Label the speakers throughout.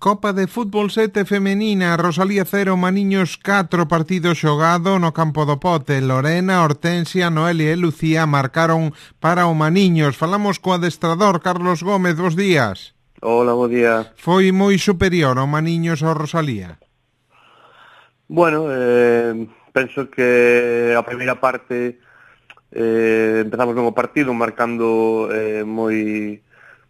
Speaker 1: Copa de Fútbol 7 femenina, Rosalía 0, Maniños 4, partido xogado no campo do Pote. Lorena, Hortensia, Noelia e Lucía marcaron para o Maniños. Falamos co adestrador Carlos Gómez, bos días.
Speaker 2: Hola, bo día.
Speaker 1: Foi moi superior ao Maniños ao Rosalía?
Speaker 2: Bueno, penso que a primeira parte empezamos ben o partido marcando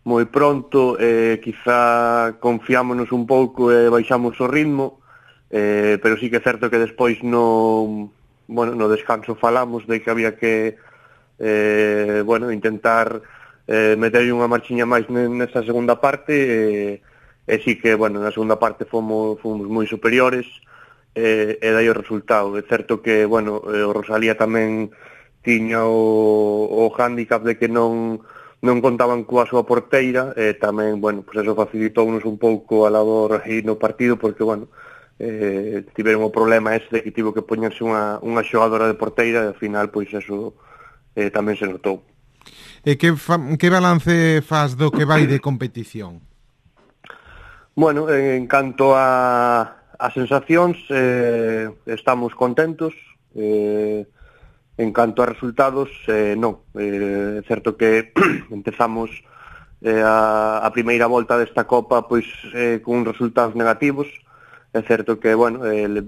Speaker 2: moi pronto, quizá confiámonos un pouco e baixamos o ritmo, pero sí que é certo que despois no descanso falamos de que había que intentar meter unha marchiña máis nesa segunda parte, e sí que, na segunda parte fomos moi superiores, e dai o resultado. É certo que, o Rosalía tamén tiña o hándicap de que non contaban coa súa porteira, e tamén, eso facilitounos un pouco a labor aí no partido, porque, tiveron o problema ese de que tivo que poñerse unha xogadora de porteira, e ao final, eso tamén se notou.
Speaker 1: E que balance faz do que vai de competición?
Speaker 2: En canto a sensacións, estamos contentos, en canto a resultados, non. É certo que empezamos a primeira volta desta Copa con resultados negativos. É certo que,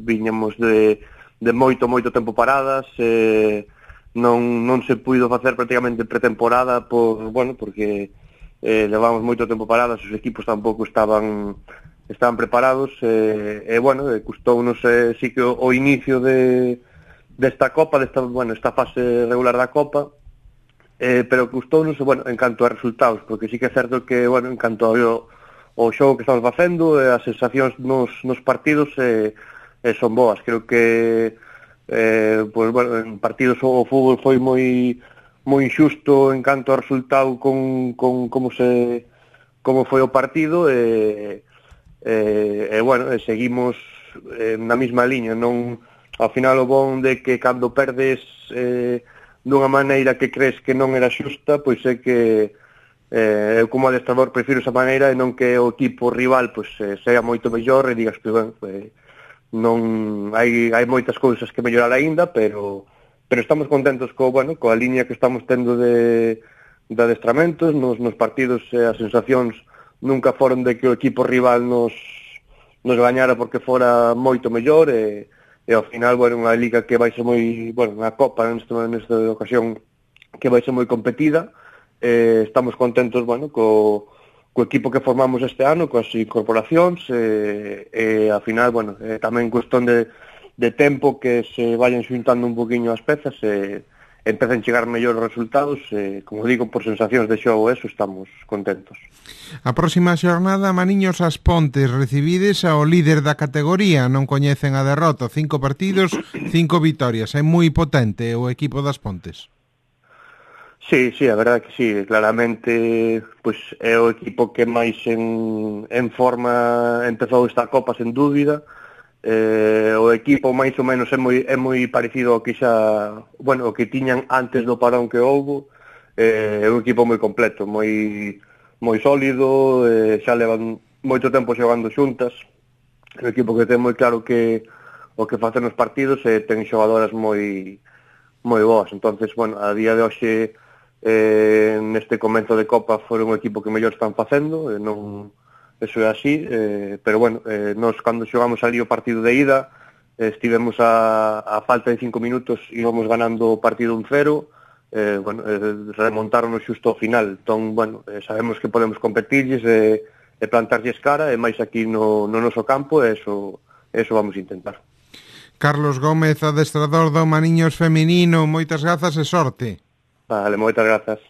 Speaker 2: viñamos de moito tempo paradas, non se puido facer prácticamente pretemporada porque levamos moito tempo paradas, os equipos tampouco estaban preparados, custounos sí que o inicio desta Copa, esta fase regular da Copa, pero custounos, en canto a resultados, porque sí que é certo que, en canto ao xogo que estamos facendo, as sensacións nos partidos son boas. Creo que en partidos o fútbol foi moi injusto en canto ao resultado con como foi o partido, seguimos na mesma liña. Non, ao final, o bon de que cando perdes dunha maneira que crees que non era xusta, pois é que eu como adestrador prefiro esa maneira e non que o equipo rival sea moito mellor e digas que non hai moitas cousas que mellorar aínda, pero estamos contentos coa liña que estamos tendo de adestramentos nos partidos. As sensacións nunca foron de que o equipo rival nos gañara porque fora moito mellor, e ao final, unha liga que vai ser moi, unha Copa nesta ocasión que vai ser moi competida. Estamos contentos, co equipo que formamos este ano, coas incorporacións, e ao final, tamén cuestión de tempo que se vayan xuntando un poquinho as pezas e empecen a chegar mellor os resultados, como digo, por sensacións de xogo, estamos contentos.
Speaker 1: A próxima xornada, Maniños As Pontes, recibides ao líder da categoría, non coñecen a derrota, 5 partidos, 5 vitorias, é moi potente o equipo das Pontes.
Speaker 2: Sí, a verdade que sí, claramente é o equipo que máis en forma empezou esta Copa, sen dúbida. O equipo máis ou menos é moi parecido ao que o que tiñan antes do parón que houbo. É un equipo moi completo, moi sólido, xa levan moito tempo xogando xuntas. É un equipo que ten moi claro que o que facen nos partidos, ten xogadoras moi boas. Entonces, a día de hoxe, neste comezo de Copa, foron un equipo que mellor están facendo, eso é así, pero nós cando xogamos ali o partido de ida, estivemos a falta de 5 minutos, íbamos ganando o partido 1-0, remontaronos xusto ao final. Entón, sabemos que podemos competirlles e plantarlles cara, e máis aquí no noso campo, e eso vamos a intentar.
Speaker 1: Carlos Gómez, adestrador do Maniños feminino, moitas grazas e sorte.
Speaker 2: Vale, moitas grazas.